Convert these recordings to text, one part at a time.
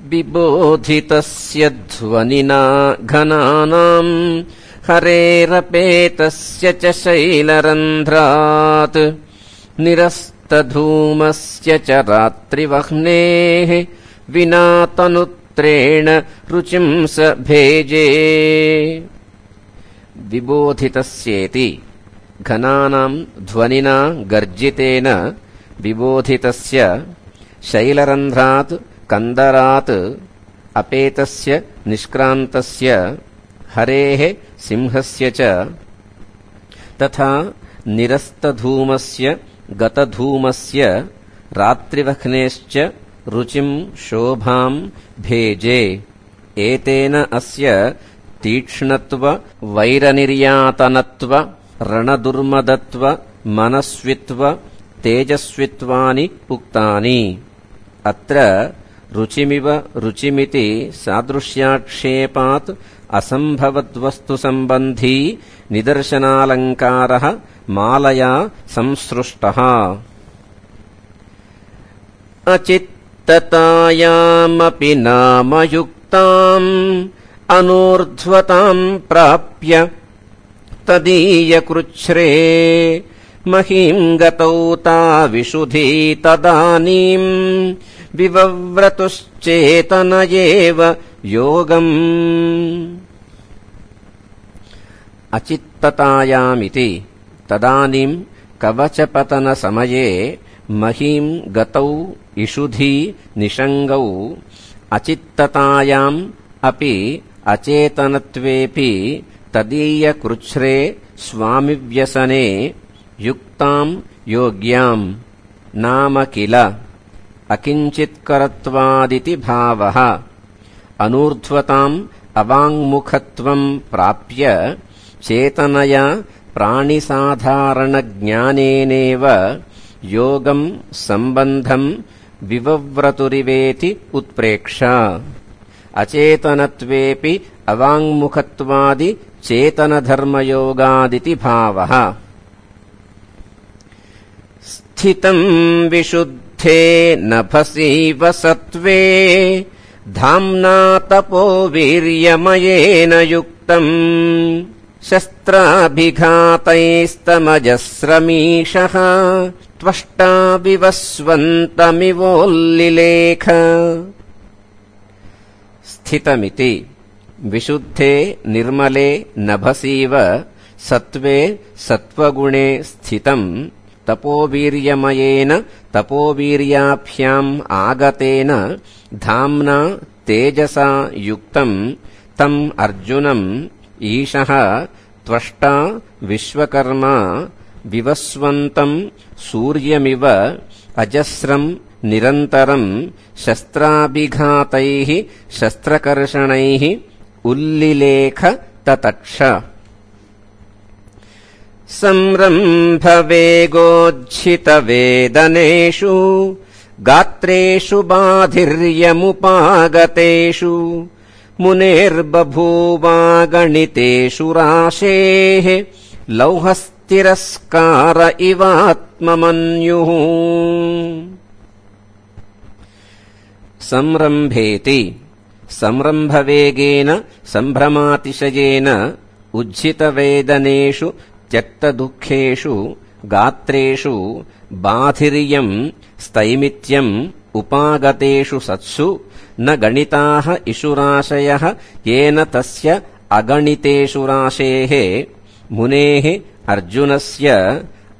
विबोधितस्य ध्वनिना घनानाम् हरेरपेतस्य च शैलरन्ध्रात् निरस्तधूमस्य च रात्रिवह्नेः विना तनुत्रेण रुचिं स भेजे। विबोधितस्येति घनानाम् ध्वनिना गर्जितेन विबोधितस्य शैलरन्ध्रात् कन्दरात् अपेतस्य निष्क्रान्तस्य हरेः सिंहस्य च तथा निरस्तधूमस्य गतधूमस्य रात्रिवह्नेश्च रुचिं शोभां भेजे। एतेन अस्य तीक्ष्णत्व वैरनिर्यातनत्व रणदुर्मदत्व मनस्वित्व तेजस्वित्वानि उक्तानि। अत्र रुचिमिव रुचिमिति सादृश्याक्षेपात् असम्भवद्वस्तुसम्बन्धी निदर्शनालङ्कारः मालया संसृष्टः। अचित्ततायामपि नामयुक्ताम् अनूर्ध्वताम् प्राप्य तदीयकृच्छ्रे महीम् गतौ ताविशुधी तदानीम् विवव्रतुश्चेतन एव योगम्। अचित्ततायामिति तदानीम् कवचपतनसमये महीम् गतौ इषुधी निषङ्गौ अचित्ततायाम् अपि अचेतनत्वेऽपि तदीयकृच्छ्रे स्वामिव्यसने युक्ताम् योग्याम् नाम किल अकिञ्चित्करत्वादिति भावः। अनूर्ध्वताम् अवाङ्मुखत्वम् प्राप्य चेतनया प्राणिसाधारणज्ञानेनेव योगम् सम्बन्धम् विवव्रतुरिवेति उत्प्रेक्ष। अचेतनत्वेऽपि अवाङ्मुखत्वादि चेतनधर्मयोगादिति भावः। स्थितम् विशुद्धे नभसीव सत्त्वे धाम्ना तपो वीर्यमयेन युक्तम् शस्त्राभिघातैस्तमजस्रमीशः त्वष्टा विवस्वन्तमिवोल्लिलेख। स्थितमिति विशुद्धे निर्मले नभसीव सत्त्वे सत्त्वगुणे स्थितम् तपोवीर्यमयेन तपोवीर्याभ्याम् आगतेन धाम्ना तेजसा युक्तम् तम् अर्जुनम् ईशः त्वष्टा विश्वकर्मा विवस्वन्तम् सूर्यमिव अजस्रम् निरन्तरम् शस्त्राभिघातैः शस्त्रकर्षणैः उल्लिलेख ततक्ष। संरम्भवेगोज्झितवेदनेषु गात्रेषु बाधिर्यमुपागतेषु मुनेर्बभूवागणितेषु राशेः लौहस्तिरस्कार इवात्ममन्युः। संरम्भेति संरम्भवेगेन सम्भ्रमातिशयेन उज्झितवेदनेषु त्यक्तदुःखेषु गात्रेषु बाधिर्यम् स्थैमित्यम् उपागतेषु सत्सु न गणिताः इषुराशयः येन तस्य अगणितेषु राशेः मुनेः अर्जुनस्य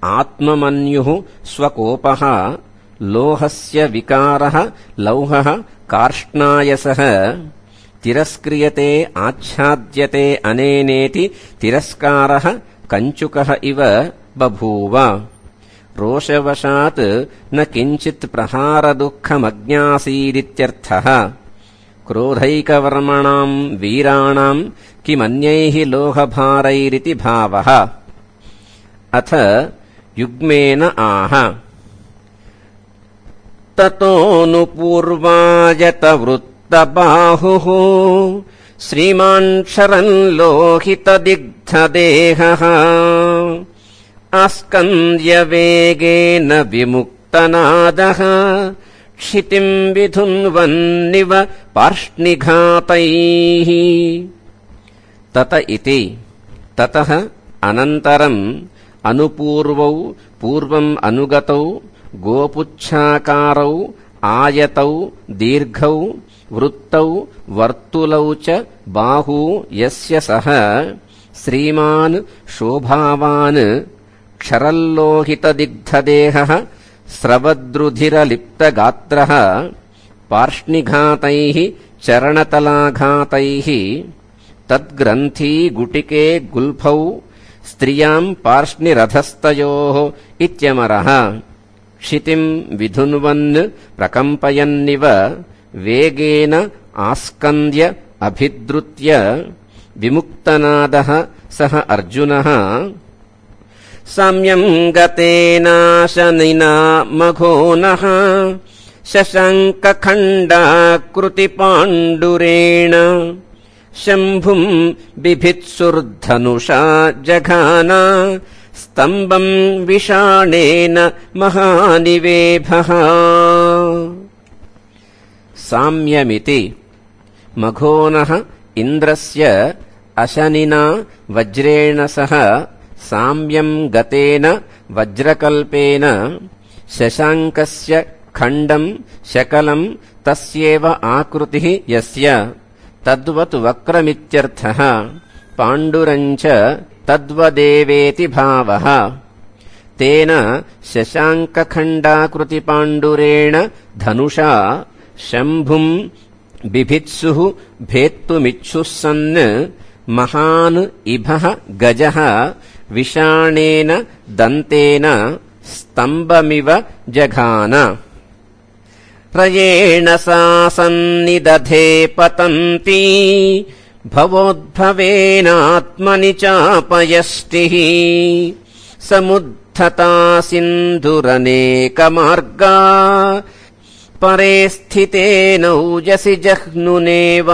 आत्ममन्युः स्वकोपः लोहस्य विकारः लौहः कार्ष्णायसः तिरस्क्रियते आच्छाद्यते अनेनेति तिरस्कारः कञ्चुकः इव बभूव। रोषवशात् न किञ्चित् प्रहारदुःखमज्ञासीदित्यर्थः। क्रोधैकवर्मणाम् वीराणाम् किमन्यैः लोहभारैरिति भावः। अथ युग्मेन आह ततोऽनुपूर्वायतवृत्तबाहुः श्रीमान् शरन् लोहितदिग्धदेहः आस्कन्द्यवेगेन विमुक्तनादः क्षितिम् विधुन्वन्निव पार्ष्णिघातैः। तत इति ततः अनन्तरम् अनुपूर्वौ पूर्वम् अनुगतौ गोपुच्छाकारौ आयतौ दीर्घौ वृत्तौ वर्तुलौ च बाहू यस्य सः श्रीमान् शोभावान् क्षरल्लोहितदिग्धदेहः स्रवद्रुधिरलिप्तगात्रः पार्ष्णिघातैः चरणतलाघातैः तद्ग्रन्थी गुटिके गुल्फौ स्त्रियाम् पार्ष्णिरधस्तयोः इत्यमरः क्षितिम् विधुन्वन् प्रकम्पयन्निव वेगेन आस्कन्द्य अभिद्रुत्य विमुक्तनादः सः अर्जुनः साम्यम् गतेनाशनिना मघोनः शशाङ्कखण्डाकृतिपाण्डुरेण शम्भुम् बिभित्सुर्धनुषा जघाना स्तम्भम् विषाणेन महानिवेभः। साम्यमिति मघोनः इन्द्रस्य अशनिना वज्रेण सह साम्यम् गतेन वज्रकल्पेन शशाङ्कस्य खण्डम् शकलम् तस्येव आकृतिः यस्य तद्वत् वक्रमित्यर्थः पाण्डुरम् च तद्वदेवेति भावः। तेन शशाङ्कखण्डाकृतिपाण्डुरेण धनुषा शम्भुम् बिभित्सुः भेत्तुमिच्छुः सन् महान् इभः गजः विषाणेन दन्तेन स्तम्भमिव जघान। रयेण सा सन्निदधे पतन्ती भवोद्भवेनात्मनि चापयष्टिः समुद्धता सिन्धुरनेकमार्गा परे स्थितेनौजसि जह्नुनेव।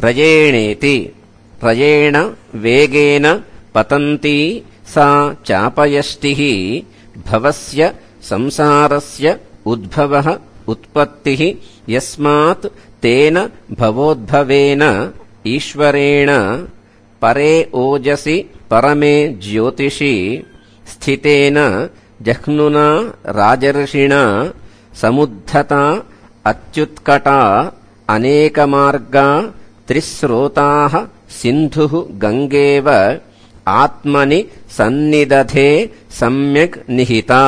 रयेणेति रयेण वेगेन पतन्ती सा चापयष्टिः भवस्य संसारस्य उद्भवः उत्पत्तिः यस्मात् तेन भवोद्भवेन ईश्वरेण परे ओजसि परमे ज्योतिषि स्थितेन जह्नुना राजर्षिणा समुद्धता अत्युत्कटा अनेकमार्गा त्रिस्रोताः सिन्धुः गङ्गेव आत्मनि सन्निदधे सम्यक् निहिता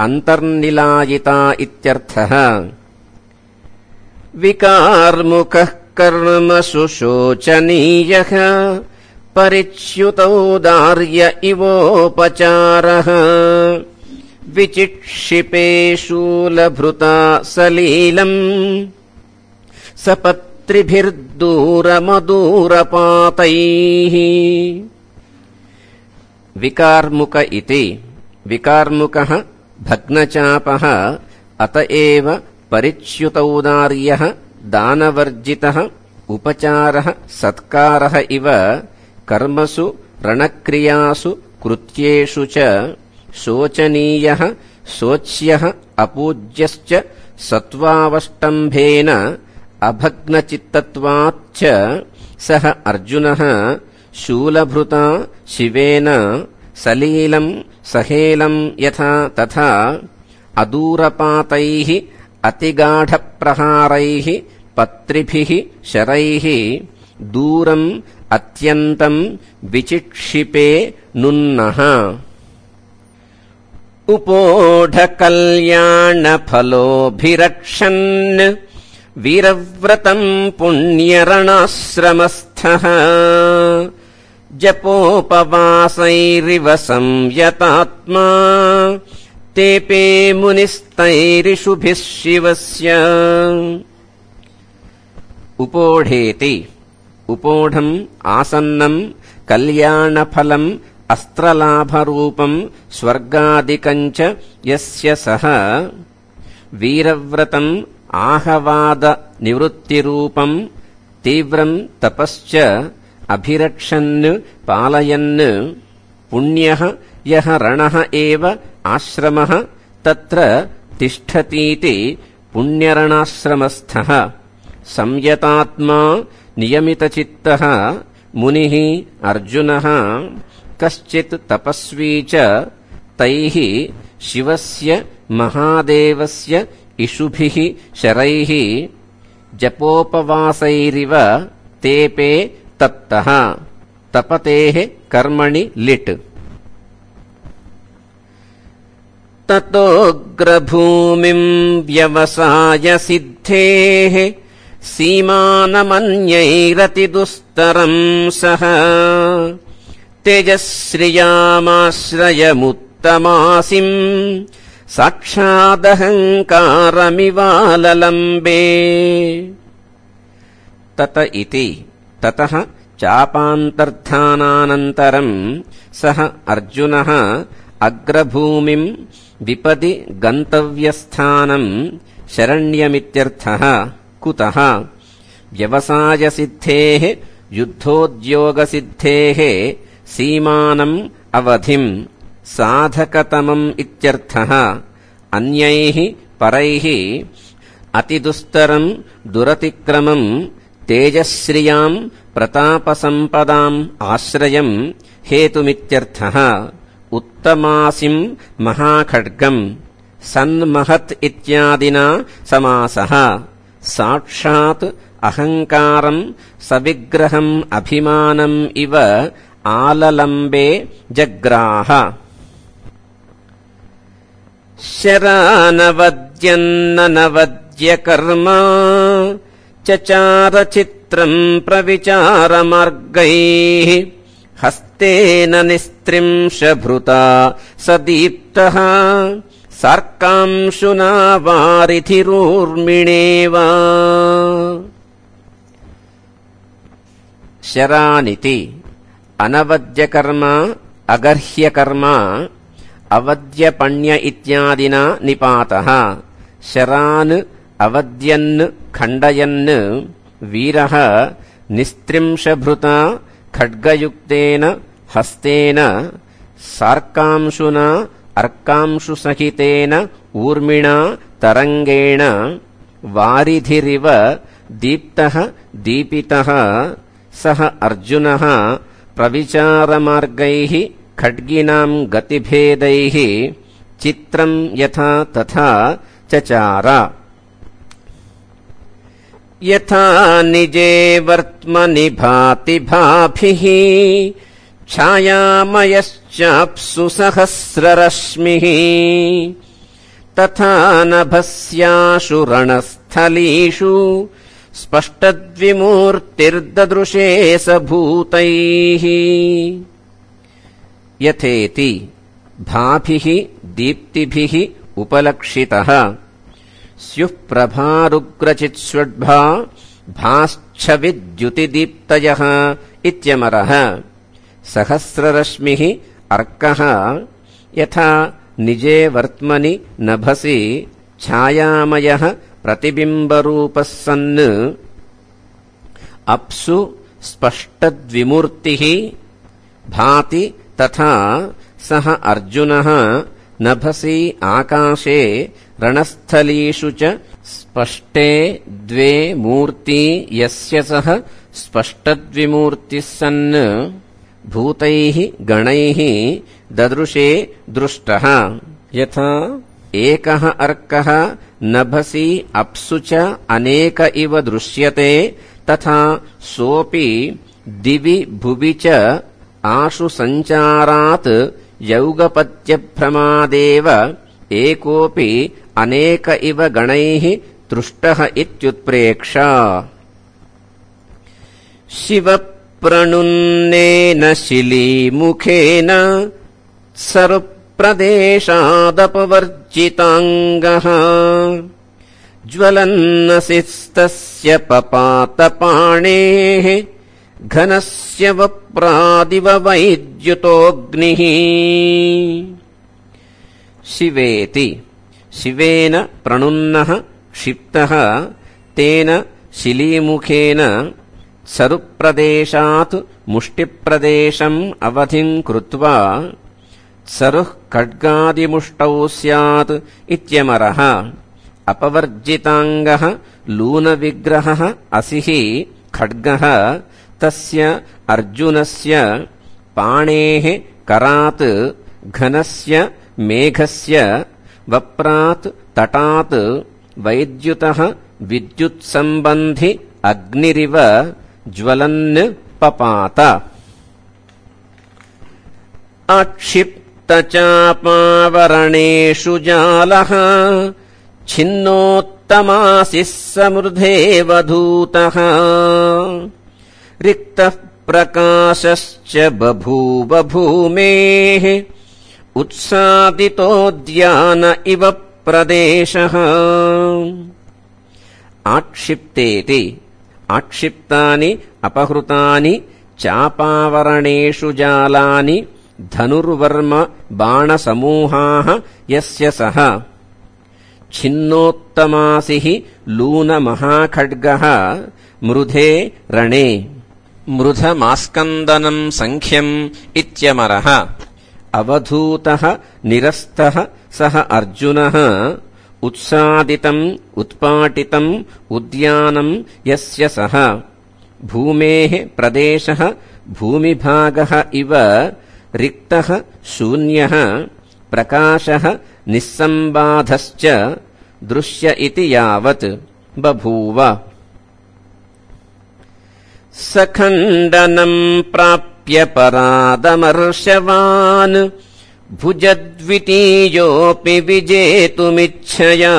अन्तर्निलायिता इत्यर्थः। विकार्मुकः कर्मसु शोचनीयः परिच्युतौदार्य इवोपचारः विचिक्षिपे शूलभृता सलीलम् सपत्रिभिर्दूरमदूरपातैः। विकार्मुक इति विकार्मुकः भग्नचापः अत एव परिच्युतौदार्यः दानवर्जितः उपचारः सत्कारः इव कर्मसु रणक्रियासु कृत्येषु च शोचनीयः शोच्यः अपूज्यश्च सत्त्वावष्टम्भेन अभग्नचित्तत्वाच्च सः अर्जुनः शूलभृता शिवेन सलीलम् सहेलम् यथा तथा अदूरपातैः अतिगाढप्रहारैः पत्रिभिः शरैः दूरम् अत्यन्तम् विचिक्षिपे नुन्नः। उपोढकल्याणफलोभिरक्षन् वीरव्रतम् पुण्यरणाश्रमस्थः जपोपवासैरिव संयतात्मा तेपे मुनिस्तैरिषुभिः शिवस्य। उपोढेति उपोढम् आसन्नम् कल्याणफलम् अस्त्रलाभरूपम् स्वर्गादिकम् च यस्य सः वीरव्रतम् आहवादनिवृत्तिरूपम् तीव्रम् तपश्च अभिरक्षन् पालयन् पुण्यः यः रणः एव आश्रमः तत्र तिष्ठतीति पुण्यरणाश्रमस्थः संयतात्मा नियमितचित्तः मुनिः अर्जुनः कश्चित् तपस्वी च तैः शिवस्य महादेवस्य इषुभिः शरैः जपोपवासैरिव तेपे तप्तः तपतेः कर्मणि लिट् ततोऽग्रभूमिम् व्यवसाय सिद्धेः सीमानमन्यैरतिदुस्तरम् सः तेजश्रियामाश्रयमुत्तमासिम् साक्षादहङ्कारमिवाललम्बे तत इति ततः चापान्तर्धानानन्तरम् सः अर्जुनः अग्रभूमिम् विपदि गन्तव्यस्थानम् शरण्यमित्यर्थः कुतः व्यवसायसिद्धेः युद्धोद्योगसिद्धेः सीमानम् अवधिम् साधकतमम् इत्यर्थः अन्यैः परैः अतिदुस्तरम् दुरतिक्रमम् तेजश्रियाम् प्रतापसम्पदाम् आश्रयम् हेतुमित्यर्थः उत्तमासिम् महाखड्गम् सन्महत् इत्यादिना समासः साक्षात् अहङ्कारम् सविग्रहम् अभिमानम् इव आललम्बे जग्राह शरानवद्यन्ननवद्यकर्म चचारचित्रम् प्रविचारमार्गैः हस्तेन निस्त्रिंशभृता सदीप्तः सार्कांशुना वारिधिरूर्मिणेव शरानिति अनवद्यकर्म अगर्ह्यकर्म अवद्यपण्य इत्यादिना निपातः शरान् अवद्यन् खण्डयन् वीरः निस्त्रिंशभृता खड्गयुक्तेन हस्तेन सार्कांशुना अर्कांशुसहितेन ऊर्मिणा तरङ्गेण वारिधिरिव दीप्तः दीपितः सः अर्जुनः प्रविचारमार्गैः खड्गिनाम् गतिभेदैः चित्रम् यथा तथा चचार यथा निजे वर्त्मनि भाति भाभिः छायामयश्चाप्सु सहस्ररश्मिः तथा नभस्याशु रणस्थलीषु स्पष्टद्विमूर्तिर्ददृशे स भूतैः यथेति भाभिः दीप्तिभिः उपलक्षितः स्युः प्रभारुग्रचित्स्वड्भा भाश्छविद्युतिदीप्तयः इत्यमरः सहस्ररश्मिः अर्कः यथा निजे वर्त्मनि नभसि छायामयः प्रतिबिम्बरूपः सन् अप्सु स्पष्टद्विमूर्तिः भाति तथा सः अर्जुनः नभसि आकाशे रणस्थलीषु च स्पष्टे द्वे मूर्ति यस्य सः स्पष्टद्विमूर्तिः सन् भूतैः गणैः ददृशे दृष्टः यथा एकः अर्कः नभसि अप्सु च अनेक इव दृश्यते तथा सोऽपि दिवि भुवि च आशु सञ्चारात् यौगपत्यभ्रमादेव एकोऽपि अनेक इव गणैः दृष्टः इत्युत्प्रेक्ष शिवप्रणुन्नेन शिलीमुखेन सरुप्रदेशादपवर्जिताङ्गः ज्वलन्नसिस्तस्य पपातपाणेः घनस्य वप्रादिव वैद्युतोऽग्निः शिवेति शिवेन प्रणुन्नः क्षिप्तः तेन शिलीमुखेन सरुप्रदेशात् मुष्टिप्रदेशम् अवधिम् कृत्वा सरुः खड्गादिमुष्टौ स्यात् इत्यमरः। अपवर्जिताङ्गः लूनविग्रहः असिः खड्गः तस्य अर्जुनस्य पाणेः करात् घनस्य मेघस्य वप्रात् तटात् वैद्युतः विद्युत्सम्बन्धि अग्निरिव ज्वलन् पपात। अक्षिप्तचापावरणेषु जालः छिन्नोत्तमासिः समृद्धेवधूतः रिक्तः प्रकाशश्च बभूव भूमेः उत्सादितोद्यान इव प्रदेशः। आक्षिप्तेति आक्षिप्तानि अपहृतानि चापावरणेषु जालानि धनुर्वर्म बाणसमूहाः यस्य सः छिन्नोत्तमासिः लूनमहाखड्गः मृधे रणे। मृधमास्कन्दनम् सङ्ख्यम् इत्यमरः। अवधूतः निरस्तः सः अर्जुनः उत्सादितम् उत्पाटितम् उद्यानम् यस्य सः भूमेः प्रदेशः भूमिभागः इव रिक्तः शून्यः प्रकाशः निस्सम्बाधश्च दृश्य इति यावत् बभूव। सखण्डनम् प्राप्य परादमर्शवान् भुजद्वितीयोऽपि विजेतुमिच्छया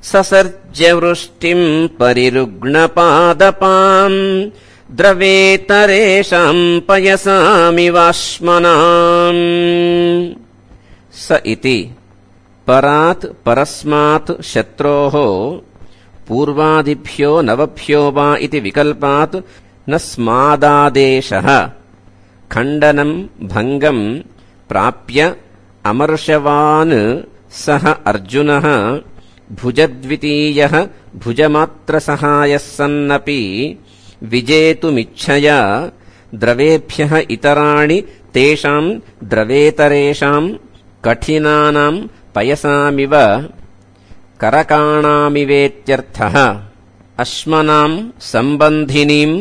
ससर्ज वृष्टिम् परिरुग्णपादपाम् द्रवेतरेषाम् पयसामिवाश्मनाम्। स इति परात् परस्मात् शत्रोः पूर्वादिभ्यो नवभ्यो वा इति विकल्पात् न स्मादादेशः खण्डनम् भङ्गम् प्राप्य अमर्षवान् सः अर्जुनः भुजद्वितीयः भुजमात्रसहायः सन्नपि विजेतुमिच्छया द्रवेभ्यः इतराणि तेषाम् द्रवेतरेषाम् कठिनानाम् पयसामिव करकाणामिवेत्यर्थः। अश्मनाम् सम्बन्धिनीम्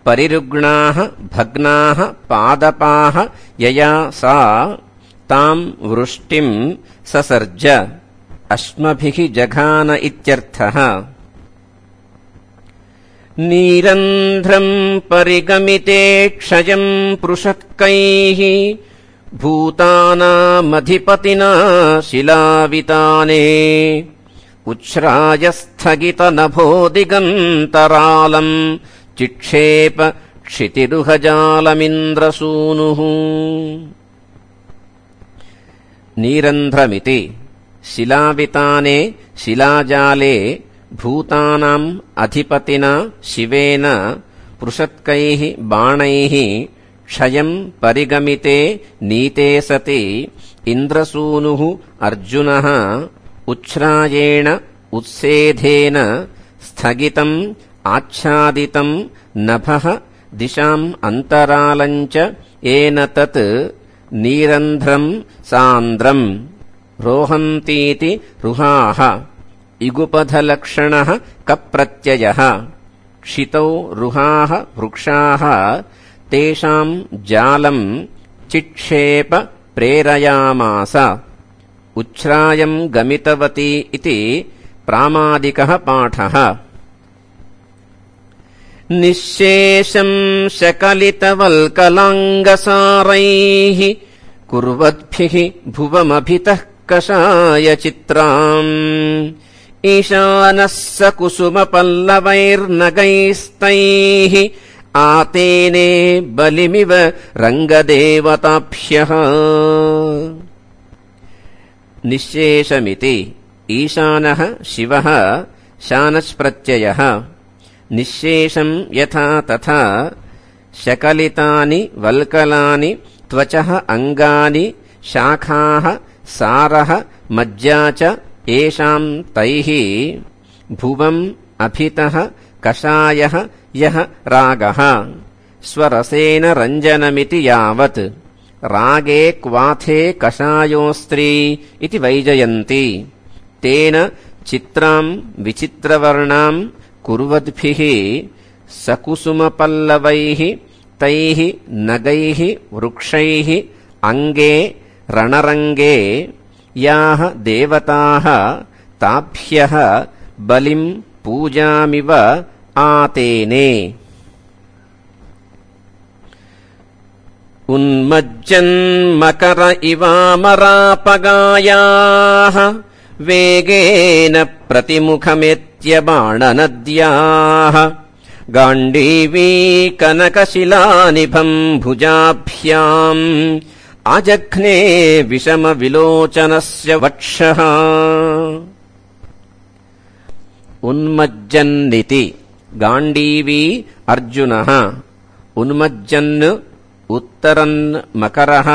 परिरुग्णाः भग्नाः पादपाः यया सा ताम् वृष्टिम् ससर्ज अश्मभिः जघान इत्यर्थः। नीरन्ध्रम् परिगमिते क्षयम् पृषक्कैः भूतानामधिपतिना शिलाविताने उच्छ्रायस्थगितनभो दिगन्तरालम् चिक्षेप क्षितिरुहजालमिन्द्रसूनुः। नीरन्ध्रमिति शिलाविताने शिलाजाले भूतानाम् अधिपतिना शिवेन पृषत्कैः बाणैः क्षयम् परिगमिते नीते सति इन्द्रसूनुः अर्जुनः उच्छ्रायेण उत्सेधेन स्थगितम् आच्छादितम् नभः दिशाम् अन्तरालम् च येन तत् नीरन्ध्रम् सान्द्रम् रोहन्तीति रुहाः इगुपधलक्षणः कप्रत्ययः। क्षितौ रुहाः वृक्षाः तेषाम् जालम् चिक्षेप प्रेरयामास। उच्छ्रायम् गमितवती इति प्रामादिकः पाठः। निःशेषम् शकलितवल्कलाङ्गसारैः कुर्वद्भिः भुवमभितः कषायचित्राम् ईशानः स कुसुमपल्लवैर्नगैस्तैः आतेने बलिमिव रङ्गदेवताभ्यः। निःशेषमिति ईशानः शिवः शानच्प्रत्ययः। निःशेषम् यथा तथा शकलितानि वल्कलानि त्वचः अङ्गानि शाखाः सारः मज्जा च येषाम् तैः भुवम् अभितः कषायः यः रागः स्वरसेन रञ्जनमिति यावत् रागे क्वाथे कषायोस्त्री इति वैजयन्ति। तेन चित्रां विचित्रवर्णां कुर्वद्भिः सकुसुमपल्लवैः तैः नगैः वृक्षैः अङ्गे रणरङ्गे याः देवताः ताभ्यः बलिं पूजामिव आतेने। उन्मज्जन्मकर इवामरापगायाः वेगेन प्रतिमुखमेत्यबाणनद्याः गाण्डीवी कनकशिलानिभम् भुजाभ्याम् आजघ्ने विषमविलोचनस्य वक्षः। उन्मज्जन्निति गाण्डीवी अर्जुनः। उन्मज्जन् उत्तरन् मकरः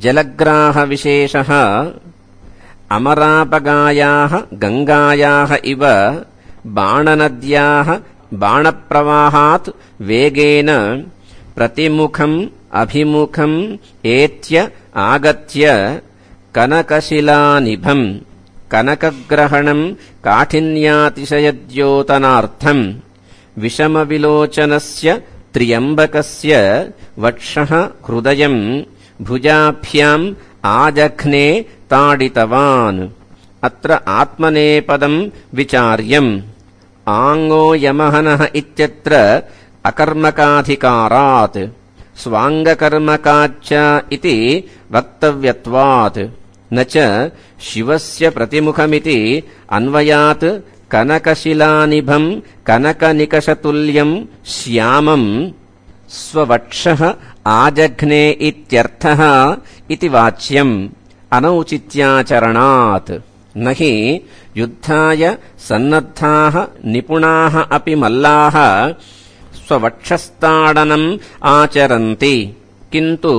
जलग्राहविशेषः। अमरापगायाः गङ्गायाः इव बाणनद्याः बाणप्रवाहात् वेगेन प्रतिमुखम् अभिमुखम् एत्य आगत्य कनकशिलानिभम् कनकग्रहणम् काठिन्यातिशयद्योतनार्थम् विषमविलोचनस्य त्र्यम्बकस्य वक्षः हृदयम् भुजाभ्याम् आजघ्ने ताडितवान्। अत्र आत्मनेपदम् विचार्यम्। आङ्गो यमहनः इत्यत्र अकर्मकाधिकारात् स्वाङ्गकर्मकाच्च इति वक्तव्यत्वात् न च शिवस्य प्रतिमुखमिति अन्वयात् कनकशिलानिभम् कनकनिकषतुल्यम् श्यामम् स्ववक्षः आजघ्ने इत्यर्थः इति वाच्यम् अनौचित्याचरणात्। न हि युद्धाय सन्नद्धाः निपुणाः अपि मल्लाः स्ववक्षस्ताडनम् आचरन्ति, किन्तु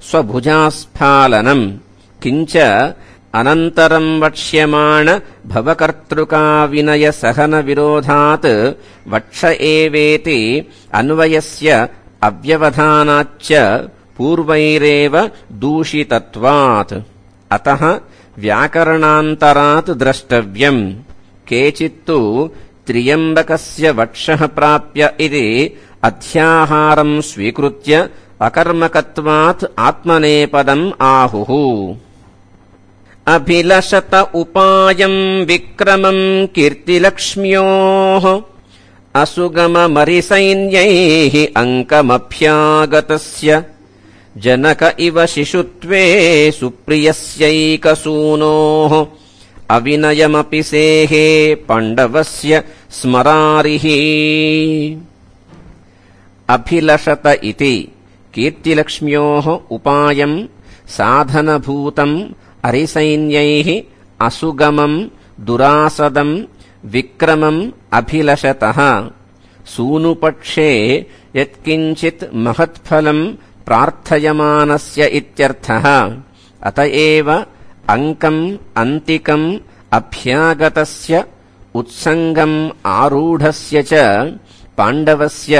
स्वभुजास्फालनम्। किञ्च अनन्तरम् वक्ष्यमाण भवकर्तृकाविनयसहनविरोधात् वक्ष एवेति अन्वयस्य अव्यवधानाच्च पूर्वैरेव दूषितत्वात्। अतः व्याकरणान्तरात् द्रष्टव्यम्। केचित्तु त्र्यम्बकस्य वक्षः प्राप्य इति अध्याहारम् स्वीकृत्य अकर्मकत्वात् आत्मनेपदम् आहुः। अभिलषत उपायम् विक्रमम् कीर्तिलक्ष्म्योः असुगममरिसैन्यैः अङ्कमभ्यागतस्य जनक इव शिशुत्वे सुप्रियस्यैकसूनोः अविनयमपि सेहे पाण्डवस्य स्मरारिः। अभिलषत इति कीर्तिलक्ष्म्योः उपायम् साधनभूतम् अरिसैन्यैः असुगमम् दुरासदम् विक्रमम् अभिलषतः। सूनुपक्षे यत्किञ्चित् महत्फलम् प्रार्थयमानस्य इत्यर्थः। अत एव अङ्कम् अन्तिकम् अभ्यागतस्य उत्सङ्गम् आरूढस्य च पाण्डवस्य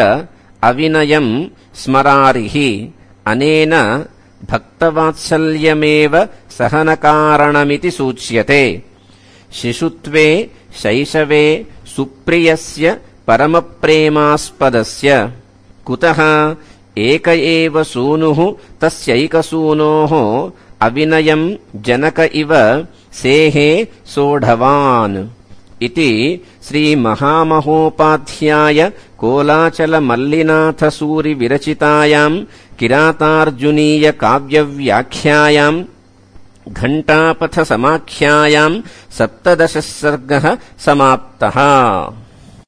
अविनयम् स्मरारिः। अनेन भक्तवात्सल्यमेव सहनकारणमिति सूच्यते। शिशुत्वे शैशवे सुप्रियस्य परमप्रेमास्पदस्य कुतः एक एव सूनुः तस्यैकसूनोः अविनयम् जनक इव सेहे सोढवान् इति श्रीमहामहोपाध्याय कोलाचलमल्लिनाथसूरिविरचितायाम् किरातार्जुनीय काव्यव्याख्यायाम् घण्टापथसमाख्यायाम् 17 सर्गः समाप्तः।